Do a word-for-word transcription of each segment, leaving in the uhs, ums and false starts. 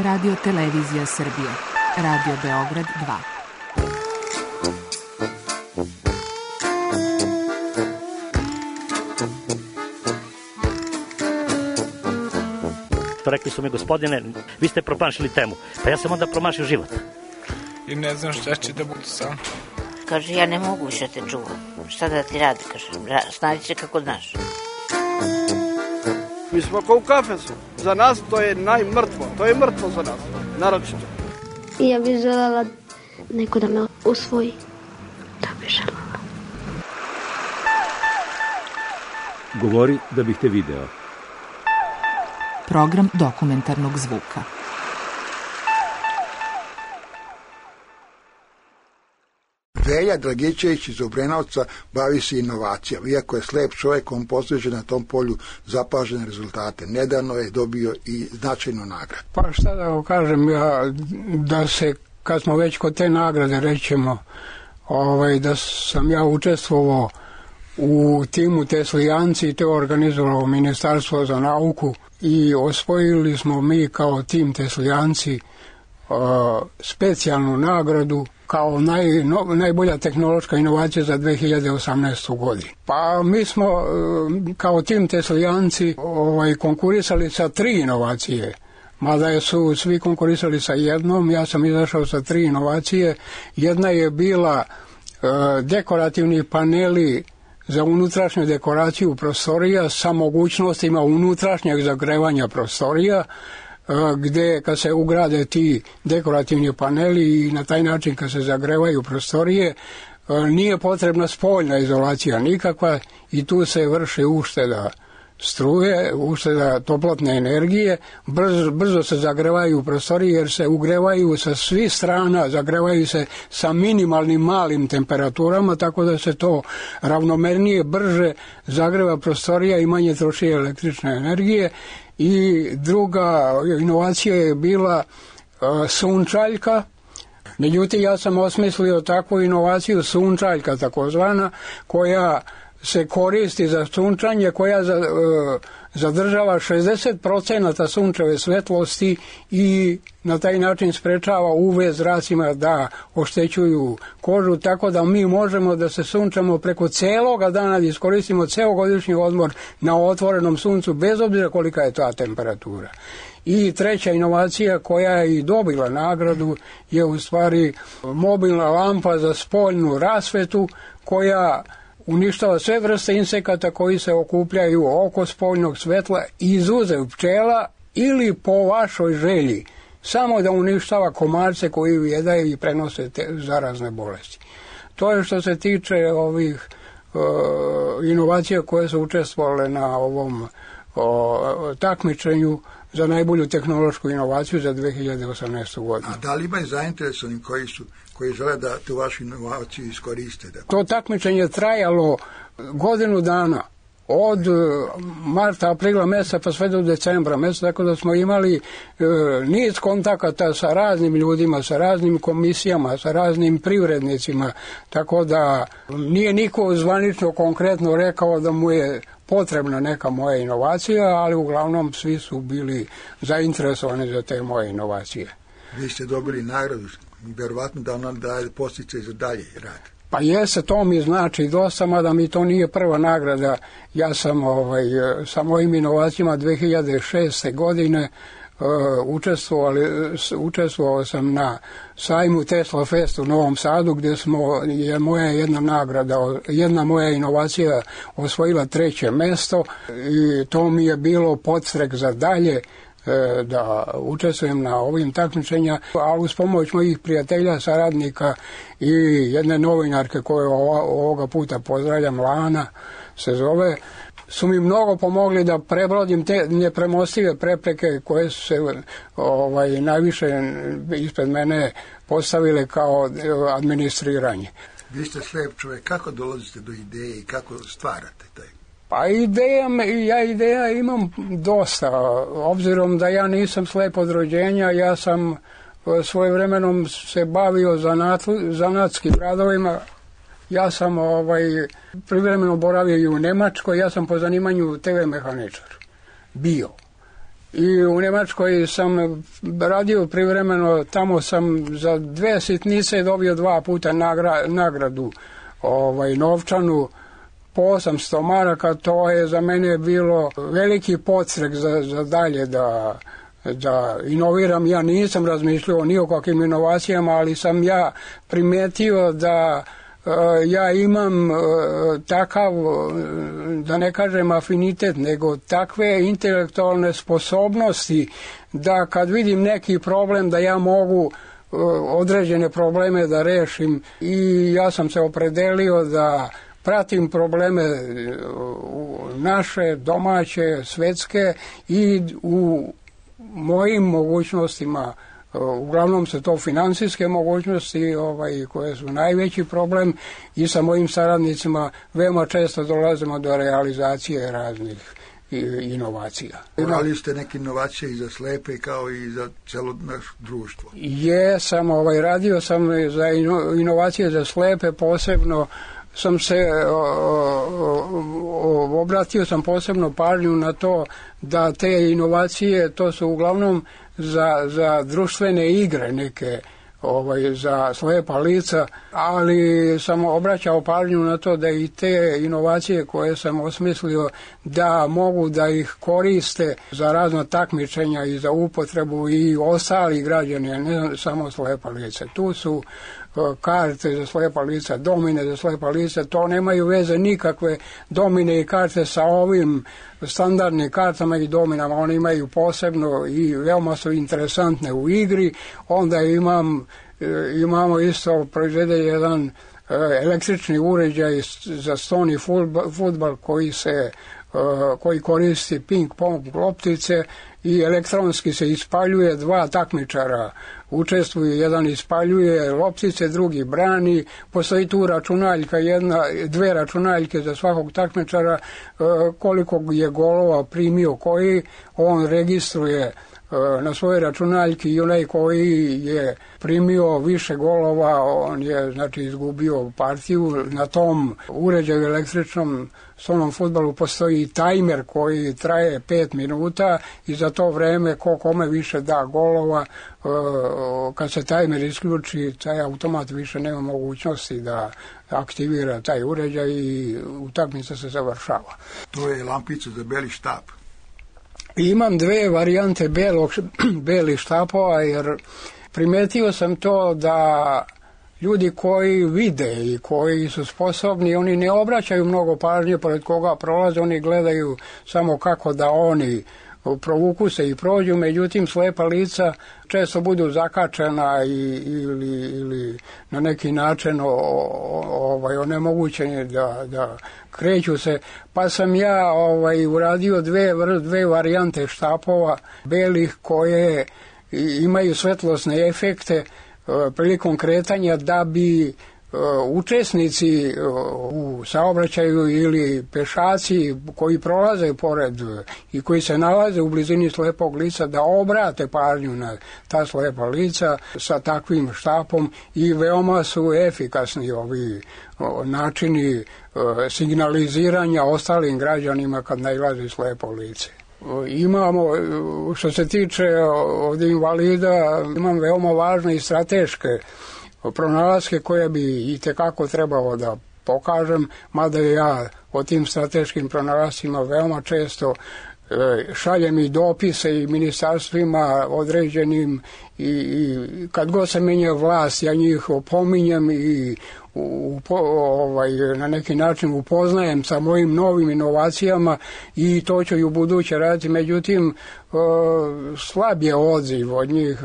Radio Televizija Srbije. Radio Beograd dva. Rekli su mi, gospodine, vi ste promašili temu. Pa ja sam onda promašio život. I ne znam šta će da bude sam. Kaže, ja ne mogu više te čuvam. Šta da ti radi, kaže, snađi se kako znaš. Mi smo kao u kafesu. Za nas to je najmrtvo. To je mrtvo za nas, naročito. I ja bih želela neko da me usvoji. Da bih želela. Govori da bih te video. Program dokumentarnog zvuka. Velja Dragičević iz Obrenovca bavi se inovacijama. Iako je slep čovjek, on postiže na tom polju zapažene rezultate. Nedavno je dobio i značajnu nagradu. Pa šta da kažem, ja, da se, kad smo već kod te nagrade, rećemo, ovaj, da sam ja učestvovao u timu Teslijanci i to organizovalo Ministarstvo za nauku i osvojili smo mi kao tim Teslijanci uh, specijalnu nagradu kao naj, no, najbolja tehnološka inovacija za dve hiljade osamnaestu. godinu. Pa mi smo uh, kao tim Teslijanci ovaj, konkurisali sa tri inovacije. Mada su svi konkurisali sa jednom, ja sam izašao sa tri inovacije. Jedna je bila uh, dekorativni paneli za unutrašnju dekoraciju prostorija sa mogućnostima unutrašnjeg zagrevanja prostorija, gdje kad se ugrade ti dekorativni paneli i na taj način kad se zagrevaju prostorije, nije potrebna spoljna izolacija nikakva i tu se vrši ušteda struje, ušteda toplotne energije, brzo, brzo se zagrevaju prostorije jer se ugrevaju sa svih strana, zagrevaju se sa minimalnim malim temperaturama, tako da se to ravnomernije, brže zagreva prostorija i manje troši električne energije. I druga inovacija je bila uh, sunčaljka. Međutim, ja sam osmislio takvu inovaciju sunčaljka takozvana, koja se koristi za sunčanje, koja za, uh, zadržava šezdeset procenata sunčeve svetlosti i na taj način sprečava U V zracima da oštećuju kožu, tako da mi možemo da se sunčamo preko celoga dana, da iskoristimo ceo godišnji odmor na otvorenom suncu, bez obzira kolika je ta temperatura. I treća inovacija koja je i dobila nagradu je u stvari mobilna lampa za spoljnu rasvetu koja uništava sve vrste insekata koji se okupljaju oko spoljnog svetla, izuzev pčela ili po vašoj želji, samo da uništava komarce koji ujedaju i prenose te zarazne bolesti. To je što se tiče ovih uh, inovacija koje su učestvovale na ovom uh, takmičenju za najbolju tehnološku inovaciju za dve hiljade osamnaestu. godinu. A da li ima i zainteresovani koji su koji žele da tu vašu inovaciju iskoriste? Da... To takmičenje je trajalo godinu dana, od marta, aprila mjeseca pa sve do decembra mjeseca, tako da smo imali e, niz kontakata sa raznim ljudima, sa raznim komisijama, sa raznim privrednicima, tako da nije niko zvanično konkretno rekao da mu je potrebna neka moja inovacija, ali uglavnom svi su bili zainteresovani za te moje inovacije. Vi ste dobili nagradu, vjerovatno da ona daje podsticaj za dalje rad. Pa jeste, to mi znači dosta, mada mi to nije prva nagrada. Ja sam ovaj, sa mojim inovacijama dve hiljade šeste. godine uh, učestvovao, učestvovao sam na sajmu Tesla Fest u Novom Sadu, gdje smo, je moja jedna nagrada, jedna moja inovacija osvojila treće mjesto i to mi je bilo podstrek za dalje da učestvujem na ovim takmičenjima, ali uz pomoć mojih prijatelja, saradnika i jedne novinarke koju ovoga puta pozdravljam, Lana se zove, su mi mnogo pomogli da prebrodim te nepremostive prepreke koje su se ovaj, najviše ispred mene postavile kao administriranje. Vi ste slijep čovjek, kako dolazite do ideje i kako stvarate taj? Pa ideja, ja ideja imam dosta, obzirom da ja nisam slijep od rođenja, ja sam svojevremenom se bavio zanat, zanatskim radovima, ja sam ovaj, privremeno boravio i u Njemačkoj, ja sam po zanimanju te ve mehaničar bio. I u Njemačkoj sam radio privremeno, tamo sam za dve sitnice dobio dva puta nagra, nagradu ovaj, novčanu po osamsto maraka. To je za mene bilo veliki podstrek za, za dalje da, da inoviram. Ja nisam razmišljao ni o kakvim inovacijama, ali sam ja primetio da ja imam takav, da ne kažem afinitet, nego takve intelektualne sposobnosti da kad vidim neki problem da ja mogu određene probleme da rešim, i ja sam se opredelio da pratim probleme naše, domaće, svetske i u mojim mogućnostima. Uglavnom su to finansijske mogućnosti ovaj, koje su najveći problem, i sa mojim saradnicima veoma često dolazimo do realizacije raznih inovacija. Radili ste neke inovacije i za slepe kao i za celo naše društvo? Jesam, ovaj, radio sam za inovacije za slepe, posebno sam se o, o, obratio sam posebno pažnju na to da te inovacije, to su uglavnom za, za društvene igre neke, ovaj, za slepa lica, ali sam obraćao pažnju na to da i te inovacije koje sam osmislio da mogu da ih koriste za razna takmičenja i za upotrebu i ostali građani, ne samo slepa lica. Tu su karte za slepa lica, domine za slepa lica, to nemaju veze nikakve domine i karte sa ovim standardnim kartama i dominama, one imaju posebno i veoma su interesantne u igri. Onda imam, imamo isto proizvede jedan električni uređaj za stoni fudbal koji se koji koristi ping-pong loptice i elektronski se ispaljuje, dva takmičara učestvuju, jedan ispaljuje loptice, drugi brani, postoji tu računaljka, jedna, dve računaljke za svakog takmičara, koliko je golova primio koji, on registruje na svoje računaljke, i onaj koji je primio više golova, on je znači izgubio partiju. Na tom uređaju električnom stolnom fudbalu postoji tajmer koji traje pet minuta i za to vreme ko kome više da golova, kad se tajmer isključi, taj automat više nema mogućnosti da aktivira taj uređaj i utakmica se završava. To je lampica za beli štap. Imam dve varijante belog, belih štapova, jer primetio sam to da ljudi koji vide i koji su sposobni, oni ne obraćaju mnogo pažnje pored koga prolaze, oni gledaju samo kako da oni provuku se i prođu, međutim slepa lica često budu zakačena i, ili, ili na neki način o, ovaj, onemogućeni da, da kreću se, pa sam ja ovaj, uradio dve, dve varijante štapova belih koje imaju svetlosne efekte prilikom kretanja, da bi učesnici u saobraćaju ili pešaci koji prolaze pored i koji se nalaze u blizini slepog lica da obrate pažnju na ta slepa lica sa takvim štapom, i veoma su efikasni ovi načini signaliziranja ostalim građanima kad nailazi slepo lice. Imamo, što se tiče ovdje invalida, imam veoma važne i strateške pronalaske koje bi i tekako trebalo da pokažem, mada ja o tim strateškim pronalascima veoma često šaljem i dopise i ministarstvima određenim, i, i kad god se menja vlast ja njih opominjem i u, ovaj, na neki način upoznajem sa mojim novim inovacijama, i to ću i u buduće raditi. Međutim, slab je odziv od njih,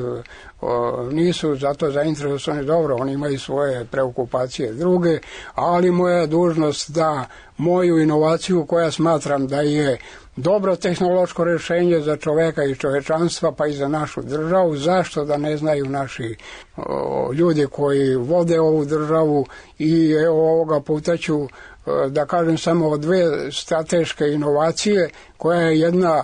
nisu zato zainteresovani. Dobro, oni imaju svoje preokupacije druge, ali moja dužnost da moju inovaciju koja smatram da je dobro tehnološko rješenje za čoveka i čovečanstva, pa i za našu državu, zašto da ne znaju naši o, ljudi koji vode ovu državu. I evo ovoga puta ću da kažem samo o dve strateške inovacije, koja je jedna e,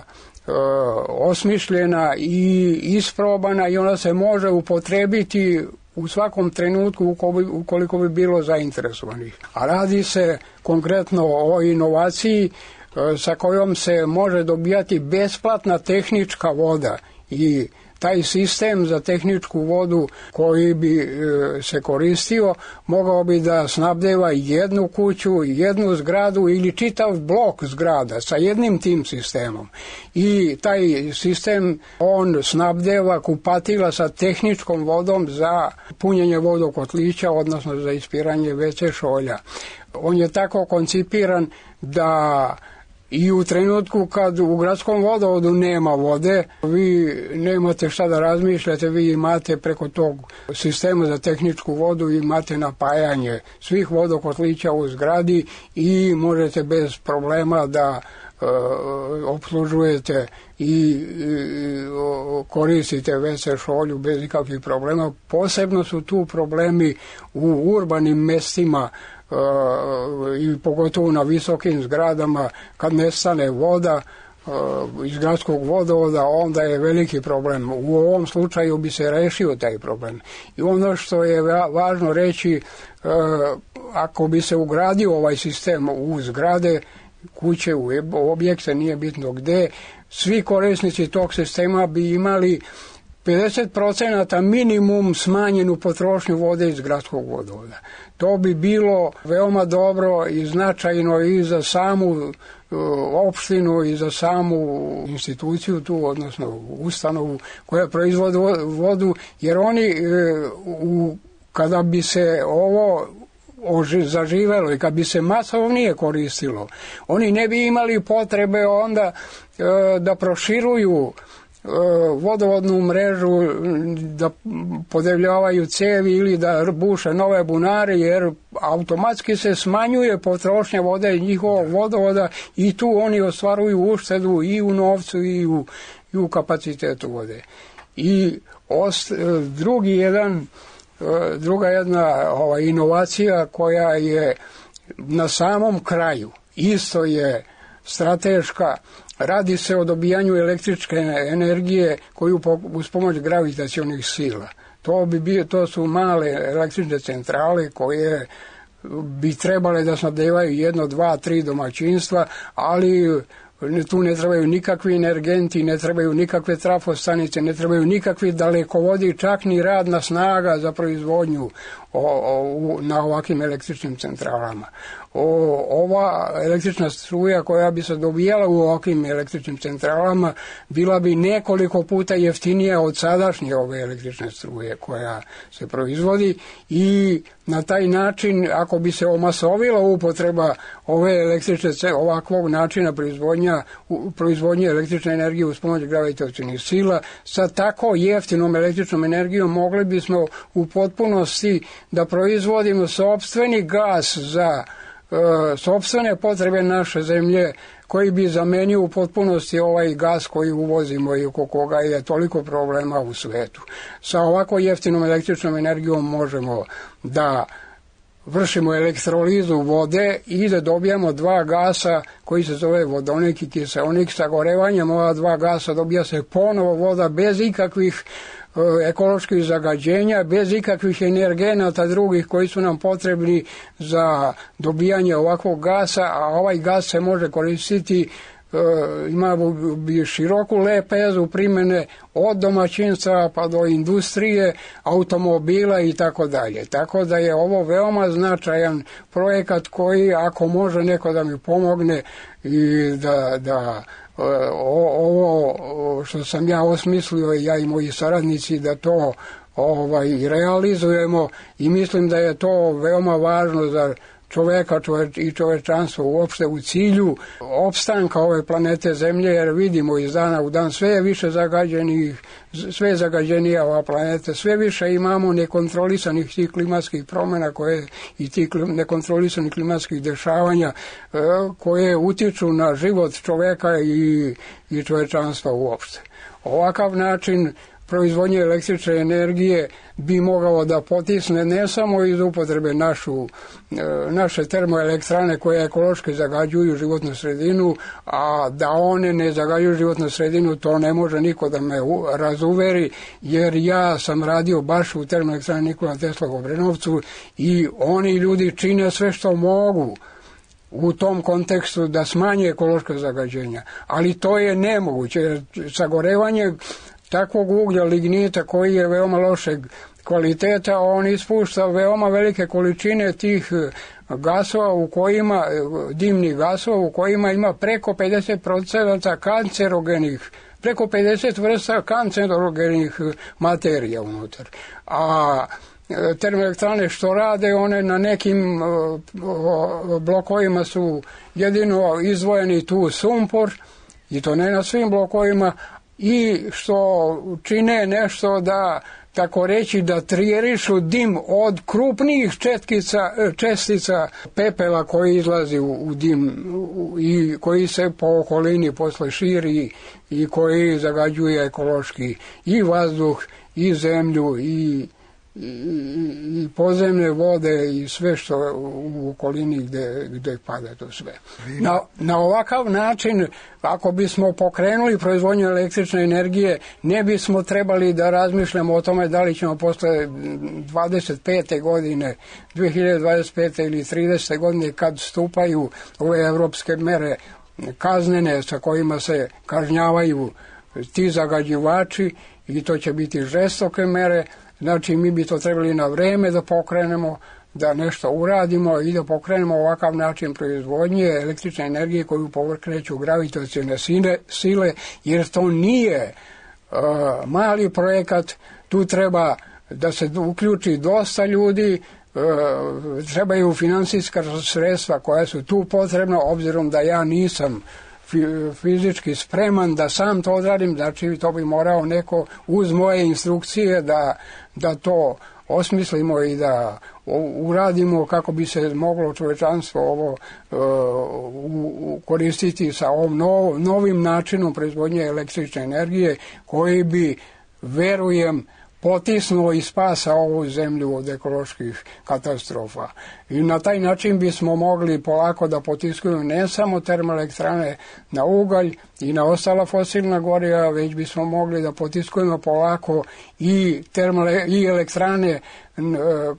osmišljena i isprobana, i ona se može upotrebiti u svakom trenutku ukoliko bi bilo zainteresovanih. A radi se konkretno o inovaciji sa kojom se može dobijati besplatna tehnička voda i taj sistem za tehničku vodu koji bi e, se koristio mogao bi da snabdeva jednu kuću, jednu zgradu ili čitav blok zgrada sa jednim tim sistemom. I taj sistem on snabdeva kupatila sa tehničkom vodom za punjenje vodokotlića, odnosno za ispiranje ve ce šolja. On je tako koncipiran da i u trenutku kad u gradskom vodovodu nema vode, vi nemate šta da razmišljate, vi imate preko tog sistema za tehničku vodu, imate napajanje svih vodokotlića u zgradi i možete bez problema da e, opslužujete i e, koristite ve ce šolju bez ikakvih problema. Posebno su tu problemi u urbanim mestima, Uh, i pogotovo na visokim zgradama kad nestane voda uh, iz gradskog vodovoda, onda je veliki problem. U ovom slučaju bi se rešio taj problem. I ono što je važno reći, uh, ako bi se ugradio ovaj sistem u zgrade, kuće, u objekte, nije bitno gde, svi korisnici tog sistema bi imali pedeset procenata minimum smanjenu potrošnju vode iz gradskog vodovoda. To bi bilo veoma dobro i značajno i za samu uh, opštinu i za samu instituciju tu, odnosno ustanovu koja proizvodi vodu, jer oni uh, u, kada bi se ovo oži, zaživelo i kad bi se masovnije koristilo, oni ne bi imali potrebe onda uh, da proširuju vodovodnu mrežu, da podebljavaju cevi ili da buše nove bunare, jer automatski se smanjuje potrošnja vode i njihovog vodovoda i tu oni ostvaruju uštedu i u novcu i u, i u kapacitetu vode. I ost, drugi jedan, druga jedna ova, inovacija koja je na samom kraju, isto je strateška. Radi se o dobijanju električke energije koju uz pomoć gravitacionih sila. To bi bio, to su male električne centrale koje bi trebale da snabdevaju jedno, dva, tri domaćinstva, ali tu ne trebaju nikakvi energenti, ne trebaju nikakve trafostanice, ne trebaju nikakvi dalekovodi, čak ni radna snaga za proizvodnju o, o, na ovakvim električnim centralama. O, ova električna struja koja bi se dobijala u ovakvim električnim centralama bila bi nekoliko puta jeftinija od sadašnje ove električne struje koja se proizvodi i na taj način, ako bi se omasovila upotreba ove električne, ovakvog načina proizvodnja, proizvodnje električne energije uz pomoć gravitacionih sila, sa tako jeftinom električnom energijom mogli bismo u potpunosti da proizvodimo sopstveni gas za e, sopstvene potrebe naše zemlje, koji bi zamenio u potpunosti ovaj gas koji uvozimo i oko koga je toliko problema u svetu. Sa ovako jeftinom električnom energijom možemo da vršimo elektrolizu vode i da dobijamo dva gasa koji se zove vodonik i kiseonik. Sagorevanjem ova dva gasa dobija se ponovo voda bez ikakvih ekoloških zagađenja, bez ikakvih energenata drugih koji su nam potrebni za dobijanje ovakvog gasa, a ovaj gas se može koristiti, ima bi široku lepezu primjene od domaćinstva pa do industrije, automobila i tako dalje. Tako da je ovo veoma značajan projekat koji, ako može neko da mi pomogne i da, da ovo što sam ja osmislio, ja i moji saradnici, da to ovaj, realizujemo, i mislim da je to veoma važno za čoveka čoveč, i čovečanstvo uopšte u cilju opstanka ove planete Zemlje, jer vidimo iz dana u dan sve je više zagađenih, sve je zagađenija ova planeta, sve više imamo nekontrolisanih tih klimatskih promjena koje, i tih nekontrolisanih klimatskih dešavanja e, koje utiču na život čoveka i, i čovečanstva uopšte. Ovakav način proizvodnje električne energije bi mogao da potisne ne samo iz upotrebe našu, naše termoelektrane koje ekološki zagađuju životnu sredinu, a da one ne zagađuju životnu sredinu, to ne može niko da me razuveri, jer ja sam radio baš u termoelektrani Nikola Tesla u Obrenovcu i oni ljudi čine sve što mogu u tom kontekstu da smanje ekološka zagađenja. Ali to je nemoguće. Sagorevanje takvog uglja lignita koji je veoma lošeg kvaliteta, on ispušta veoma velike količine tih gasova u kojima, dimnih gasova u kojima ima preko pedeset procenata kancerogenih, preko pedeset vrsta kancerogenih materija unutar. A termoelektrane što rade, one na nekim blokovima su jedino izdvojeni tu sumpor, i to ne na svim blokovima, i što čine nešto da, tako reći, da trijerišu dim od krupnijih četkica, čestica pepela koji izlazi u, u dim u, i koji se po okolini posle širi i koji zagađuje ekološki i vazduh i zemlju i I, i podzemne vode i sve što u okolini gde, gde pada to sve. Na, na ovakav način, ako bismo pokrenuli proizvodnju električne energije, ne bismo trebali da razmišljamo o tome da li ćemo posle dvadeset pete godine, dve hiljade dvadeset pete ili tridesete godine, kad stupaju ove evropske mere kaznene sa kojima se kažnjavaju ti zagađivači, i to će biti žestoke mere. Znači, mi bi to trebali na vreme da pokrenemo, da nešto uradimo i da pokrenemo ovakav način proizvodnje električne energije koju pokreću gravitacione sile, jer to nije uh, mali projekat, tu treba da se uključi dosta ljudi, uh, trebaju finansijska sredstva koja su tu potrebna, obzirom da ja nisam fizički spreman da sam to odradim, znači to bi morao neko uz moje instrukcije da, da to osmislimo i da uradimo kako bi se moglo čovečanstvo ovo uh, koristiti sa ovom nov, novim načinom proizvodnje električne energije koji bi, verujem, potisnuo i spasa ovu zemlju od ekoloških katastrofa. I na taj način bismo mogli polako da potiskujemo ne samo termoelektrane na ugalj i na ostala fosilna goriva, već bismo mogli da potiskujemo polako i, termole, i elektrane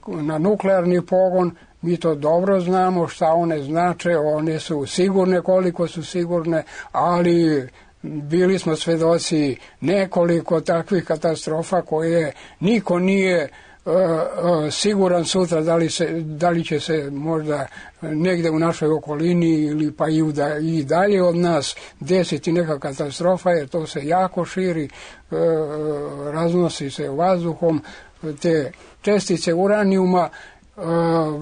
na nuklearni pogon. Mi to dobro znamo šta one znače, one su sigurne koliko su sigurne, ali bili smo svedoci nekoliko takvih katastrofa koje niko nije uh, uh, siguran sutra da li, se, da li će se možda negde u našoj okolini ili pa i, uda, i dalje od nas desiti neka katastrofa, jer to se jako širi, uh, raznosi se vazduhom, te čestice uranijuma. Uh,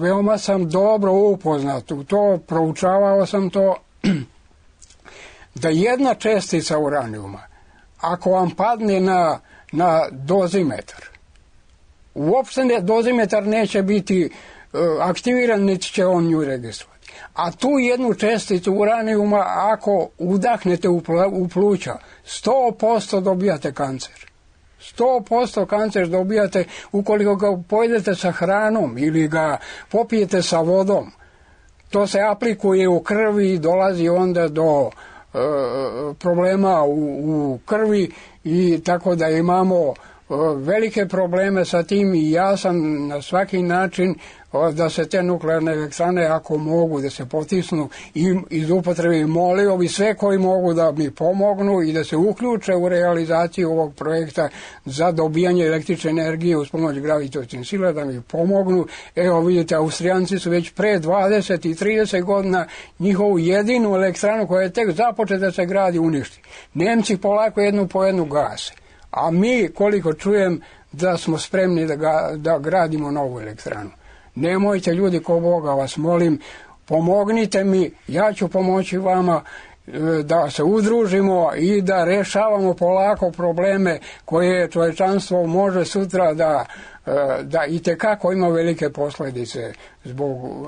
veoma sam dobro upoznat u to, proučavao sam to, da jedna čestica uranijuma, ako vam padne na, na dozimetar, uopšte ne, dozimetar neće biti uh, aktiviran, niti će on nju registrovati. A tu jednu česticu uranijuma, ako udahnete u, pl u pluća, sto posto dobijate kancer. sto posto kancer dobijate ukoliko ga pojedete sa hranom ili ga popijete sa vodom. To se aplikuje u krvi i dolazi onda do problema u, u krvi, i tako da imamo velike probleme sa tim, i ja sam na svaki način da se te nuklearne elektrane, ako mogu da se potisnu i iz upotrebe, molio bi sve koji mogu da mi pomognu i da se uključe u realizaciju ovog projekta za dobijanje električne energije uz pomoć gravitacionih sila, da mi pomognu. Evo vidite, Austrijanci su već pre dvadeset i trideset godina njihovu jedinu elektranu koja je tek započeta da se gradi uništi. Nemci polako jednu po jednu gase. A mi, koliko čujem, da smo spremni da, ga, da gradimo novu elektranu. Nemojte, ljudi, ko Boga vas molim, pomognite mi, ja ću pomoći vama da se udružimo i da rešavamo polako probleme koje čovečanstvo može sutra da, da itekako ima velike posljedice zbog,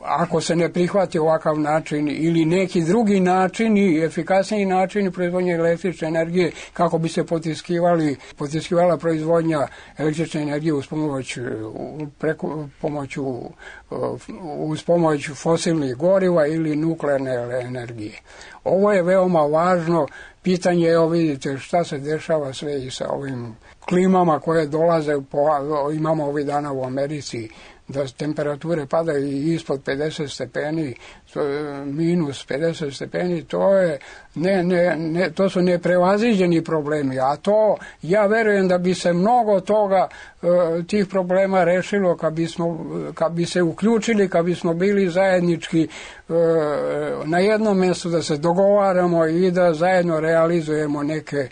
ako se ne prihvati ovakav način ili neki drugi način i efikasniji način proizvodnje električne energije, kako bi se potiskivali, potiskivala proizvodnja električne energije uz pomoć, preko, pomoću, uz pomoć fosilnih goriva ili nuklearne energije. Ovo je veoma važno pitanje. Evo vidite šta se dešava sve i sa ovim klimama koje dolaze, po, imamo ovih dana u Americi da temperature padaju ispod pedeset stepeni, minus pedeset stepeni, to je ne, ne, ne, to su neprevaziđeni problemi, a to ja verujem da bi se mnogo toga tih problema rešilo kad bismo, kad bi se uključili, kad bismo bili zajednički na jednom mjestu, da se dogovaramo i da zajedno realizujemo neke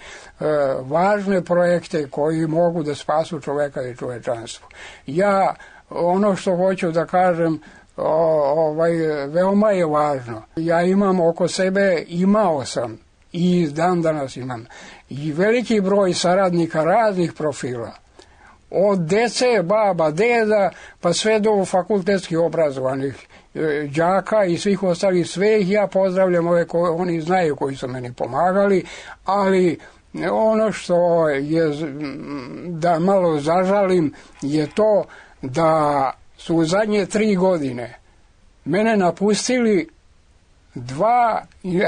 važne projekte koji mogu da spasu čoveka i čovečanstvo. Ja ono što hoću da kažem, ovaj, veoma je važno. Ja imam oko sebe, imao sam i dan danas imam i veliki broj saradnika raznih profila. Od dece, baba, deda, pa sve do fakultetskih obrazovanih đaka i svih ostalih, sve ih ja pozdravljam, ove koje oni znaju koji su meni pomagali, ali ono što je, da malo zažalim, je to da su u zadnje tri godine mene napustili dva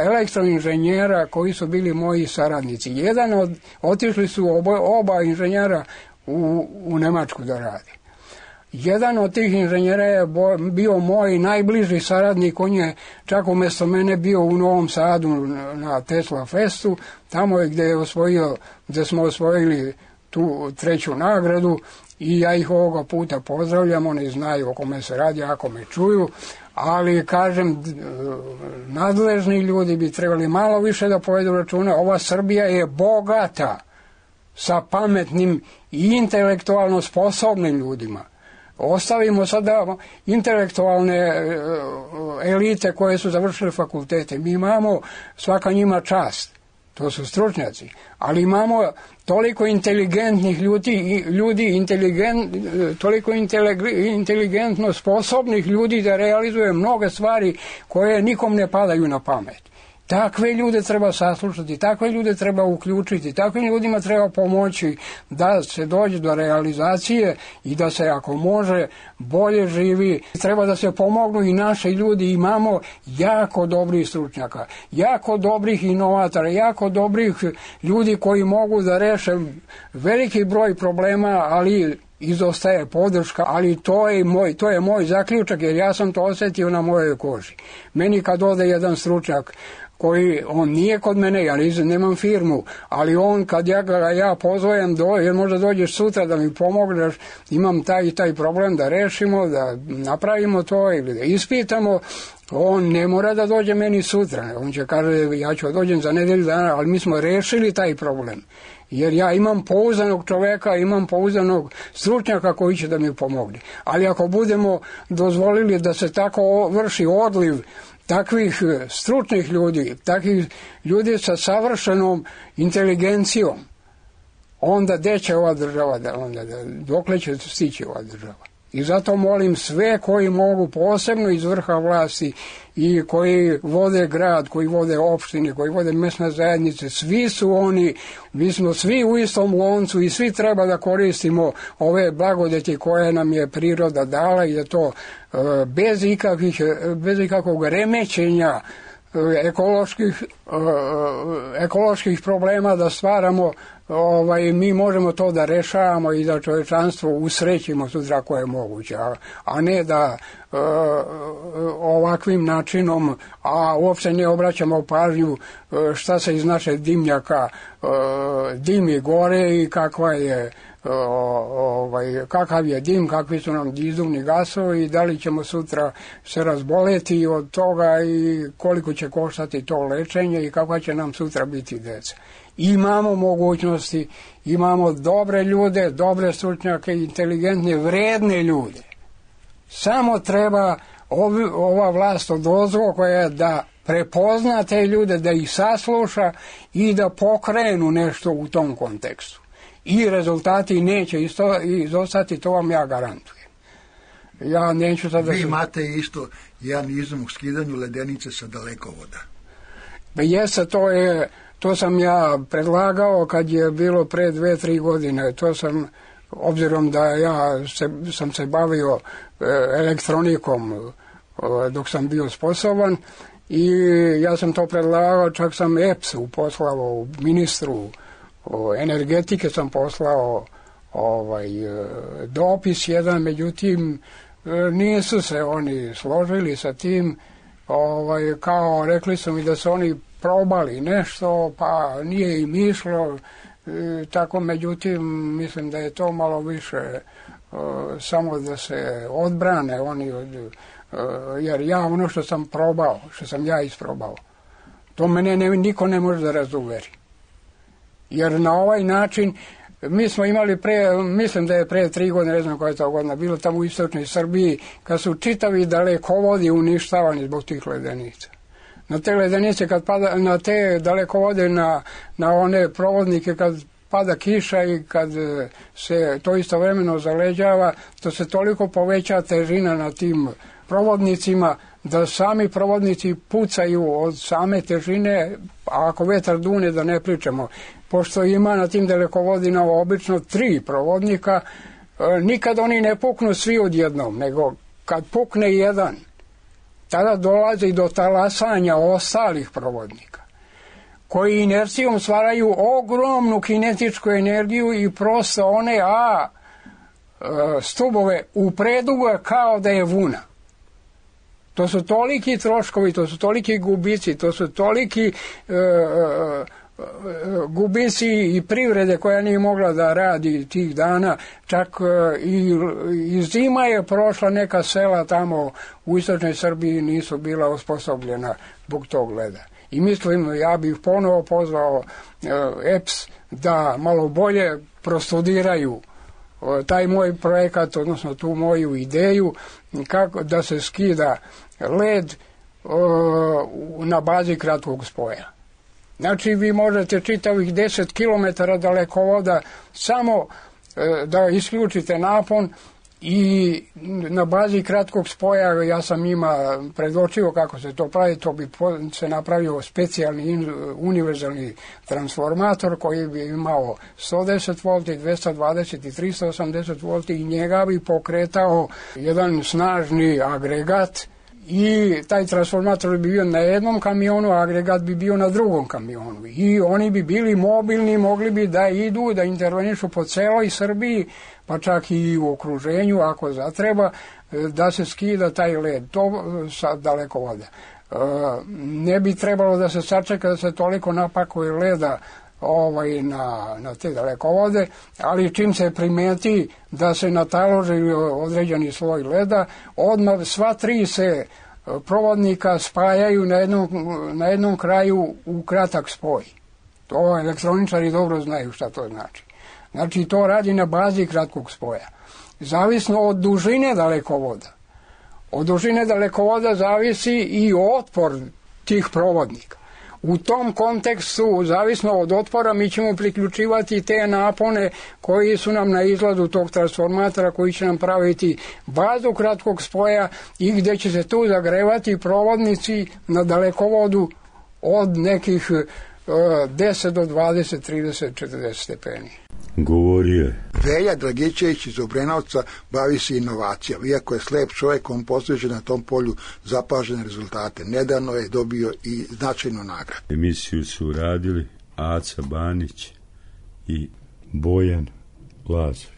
elektroinženjera koji su bili moji saradnici. Jedan od, otišli su oba, oba inženjera u, u Nemačku da radi. Jedan od tih inženjera je bo, bio moj najbliži saradnik, on je čak umjesto mene bio u Novom Sadu na Tesla Festu, tamo je gdje je osvojio, gdje smo osvojili tu treću nagradu, i ja ih ovoga puta pozdravljam, oni znaju o kome se radi, ako me čuju, ali kažem, nadležni ljudi bi trebali malo više da povedu računa. Ova Srbija je bogata sa pametnim i intelektualno sposobnim ljudima. Ostavimo sada intelektualne elite koje su završile fakultete. Mi imamo, svaka njima čast, to su stručnjaci, ali imamo toliko inteligentnih ljudi, ljudi inteligent, toliko inteligentno sposobnih ljudi da realizuje mnoge stvari koje nikom ne padaju na pamet. Takve ljude treba saslušati, takve ljude treba uključiti, takvim ljudima treba pomoći da se dođe do realizacije i da se, ako može, bolje živi. Treba da se pomognu i naši ljudi. Imamo jako dobrih stručnjaka, jako dobrih inovatora, jako dobrih ljudi koji mogu da reše veliki broj problema, ali izostaje podrška, ali to je moj, to je moj zaključak, jer ja sam to osjetio na mojoj koži. Meni kad ode jedan stručnjak koji, on nije kod mene, ja nemam firmu, ali on kad ja ga ja pozovem, do, jer možda dođeš sutra da mi pomogneš, imam taj i taj problem da rešimo, da napravimo to ili da ispitamo, on ne mora da dođe meni sutra, on će kaže ja ću dođem za nedelju dana, ali mi smo rešili taj problem. Jer ja imam pouzdanog čoveka, imam pouzdanog stručnjaka koji će da mi pomogne. Ali ako budemo dozvolili da se tako vrši odliv takvih stručnih ljudi, takvih ljudi sa savršenom inteligencijom, onda gde će ova država, da, onda, da, dokle će stići ova država. I zato molim sve koji mogu, posebno iz vrha vlasti i koji vode grad, koji vode opštine, koji vode mesne zajednice, svi su oni, mi smo svi u istom loncu i svi treba da koristimo ove blagodeti koje nam je priroda dala i da to bez ikakvih, bez ikakvog remećenja ekoloških, ekoloških problema da stvaramo, ovaj, mi možemo to da rešavamo i da čovečanstvo usrećimo sutra koje je moguće, a, a ne da e, ovakvim načinom, a uopšte ne obraćamo pažnju šta se iz naše dimnjaka e, dimi gore i kakva je ovaj, kakav je dim, kakvi su nam izduvni gasovi i da li ćemo sutra se razboleti od toga i koliko će koštati to lečenje i kakva će nam sutra biti deca. Imamo mogućnosti, imamo dobre ljude, dobre stručnjake, inteligentne, vredne ljude. Samo treba ovi, ova vlast odozgo koja je da prepozna te ljude, da ih sasluša i da pokrenu nešto u tom kontekstu. I rezultati neće isto, izostati, to vam ja garantujem. Ja neću sada... Vi imate isto jedan izum u skidanju ledenice sa dalekovoda. Pa jeste, to je... To sam ja predlagao kad je bilo pre dve, tri godine. To sam, obzirom da ja se, sam se bavio elektronikom dok sam bio sposoban i ja sam to predlagao, čak sam E P S-u poslao, ministru energetike sam poslao ovaj, dopis jedan, međutim nisu se oni složili sa tim, ovaj, kao rekli su mi da su oni probali nešto, pa nije im išlo, e, tako međutim mislim da je to malo više e, samo da se odbrane oni od, e, jer ja ono što sam probao, što sam ja isprobao, to mene ne, niko ne može da razuveri. Jer na ovaj način mi smo imali pre, mislim da je pre tri godine, ne znam koja je to godina, bilo tamo u istočnoj Srbiji, kad su čitavi dalekovodi uništavani zbog tih ledenica. Na te ledenice, kad pada, na te dalekovode, na, na one provodnike, kad pada kiša i kad se to istovremeno zaleđava, to se toliko poveća težina na tim provodnicima, da sami provodnici pucaju od same težine, a ako vetar dune da ne pričamo. Pošto ima na tim dalekovodinama obično tri provodnika, nikad oni ne puknu svi odjednom, nego kad pukne jedan, tada dolazi do talasanja ostalih provodnika, koji inercijom stvaraju ogromnu kinetičku energiju i prosto one A stubove upreduga kao da je vuna. To su toliki troškovi, to su toliki gubici, to su toliki e, e, gubici i privrede koja nije mogla da radi tih dana, čak i, i zima je prošla, neka sela tamo u istočnoj Srbiji nisu bila osposobljena zbog tog leda. I mislim, ja bih ponovo pozvao E P S da malo bolje prostudiraju taj moj projekat, odnosno tu moju ideju, kako da se skida led na bazi kratkog spoja. Znači, vi možete čitavih deset kilometara dalekovoda samo e, da isključite napon i na bazi kratkog spoja, ja sam njima predočio kako se to pravi, to bi se napravio specijalni univerzalni transformator koji bi imao sto deset volti, dvesta dvadeset i trista osamdeset volti i njega bi pokretao jedan snažni agregat. I taj transformator bi bio na jednom kamionu, a agregat bi bio na drugom kamionu. I oni bi bili mobilni, mogli bi da idu, da intervenišu po celoj Srbiji, pa čak i u okruženju, ako zatreba, da se skida taj led. To sa dalekovoda. Ne bi trebalo da se sačeka da se toliko napakuje leda ovaj, na, na te dalekovode, ali čim se primeti da se nataloži određeni sloj leda, odmah sva tri se provodnika spajaju na jednom, na jednom kraju u kratak spoj. To elektroničari dobro znaju šta to znači. Znači to radi na bazi kratkog spoja. Zavisno od dužine dalekovoda. Od dužine dalekovoda zavisi i otpor tih provodnika. U tom kontekstu, zavisno od otpora, mi ćemo priključivati te napone koji su nam na izgladu tog transformatora, koji će nam praviti bazu kratkog spoja i gdje će se tu zagrevati provodnici na dalekovodu od nekih uh, deset do dvadeset, trideset, četrdeset stepeni. Govorio je Velja Dragičević iz Obrenovca, bavi se inovacijama. Iako je slep čovjek, on postiže na tom polju zapažene rezultate. Nedavno je dobio i značajnu nagradu. Emisiju su radili Aca Banić i Bojan Lazović.